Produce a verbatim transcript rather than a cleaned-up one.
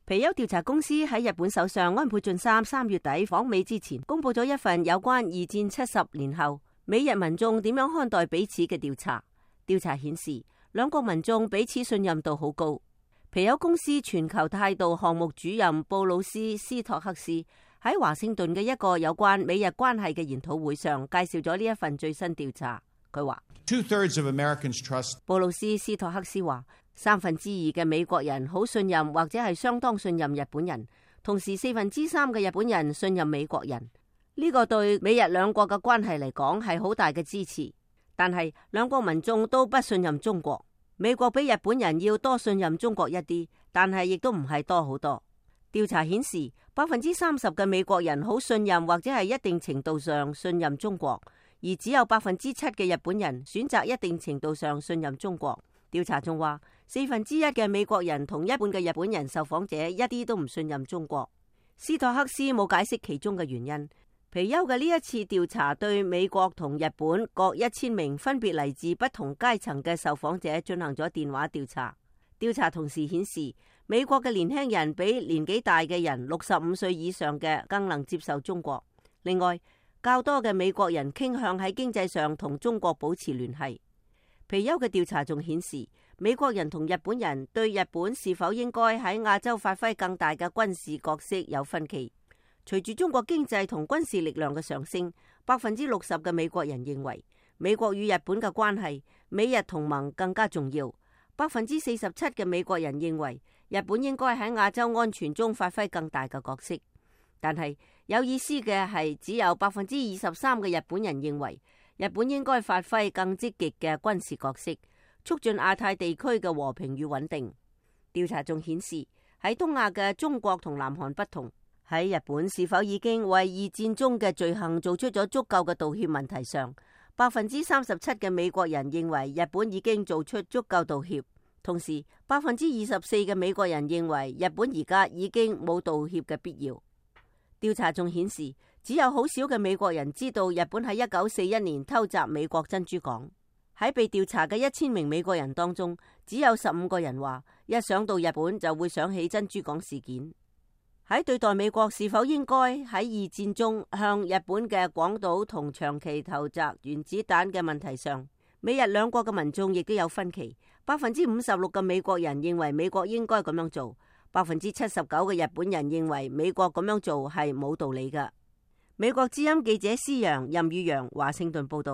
皮尤調查公司喺日本首相安倍晉三三月底訪美之前，公布咗一份有關二戰七十年後美日民眾點樣看待彼此嘅調查。調查顯示，兩國民眾彼此信任度好高。皮尤公司全球態度項目主任布魯斯斯托克斯喺華盛頓嘅一個有關美日關係嘅研討會上介紹咗呢一份最新調查。佢話，Two thirds of Americans trust。布魯斯斯托克斯話，三分之二嘅美國人好信任或者係相當信任日本人，同時四分之三嘅日本人信任美國人。呢個對美日兩國嘅關係嚟講係好大嘅支持。但係兩國民眾都不信任中國，美國比日本人要多信任中國一啲，但係亦都唔係多好多。調查顯示，百分之三十嘅美國人好信任或者係一定程度上信任中國，而只有百分之七嘅日本人選擇一定程度上信任中國。調查仲話，四分之一嘅美國人同一半嘅日本人受訪者一啲都唔信任中國。斯托克斯冇解釋其中嘅原因。皮尤嘅呢一次調查對美國同日本各一千名分別嚟自不同階層嘅受訪者進行咗電話調查。調查同時顯示，美國嘅年輕人比年紀大嘅人六十五歲以上嘅更能接受中國。另外，較多嘅美國人傾向喺經濟上同中國保持聯繫。皮尤嘅調查仲顯示，美國人同日本人對日本是否應該喺亞洲發揮更大嘅軍事角色有分歧。隨住中國經濟同軍事力量嘅上升，百分之六十嘅美國人認為美國與日本嘅關係，美日同盟更加重要。百分之四十七嘅美國人認為日本應該喺亞洲安全中發揮更大嘅角色。但係有意思嘅係，只有百分之二十三嘅日本人認為日本應該發揮更積極嘅軍事角色，促進亞太地區嘅和平與穩定。調查仲顯示，喺東亞嘅中國同南韓不同。喺日本是否已經為二戰中嘅罪行做出咗足夠嘅道歉問題上，百分之三十七嘅美國人認為日本已經做出足夠道歉，同時百分之二十四嘅美國人認為日本而家已經冇道歉嘅必要。調查仲顯示，只有好少嘅美國人知道日本喺一九四一年偷襲美國珍珠港。喺被調查嘅一千名美國人當中，只有十五個人話一想到日本就會想起珍珠港事件。喺對待美國是否應該喺二戰中向日本嘅廣島同長崎投擲原子彈嘅問題上，美日兩國嘅民眾亦都有分歧。百分之五十六嘅美國人認為美國應該咁樣做，百分之七十九嘅日本人認為美國咁樣做係冇道理㗎。美國之音記者施洋、任宇陽華盛頓報道。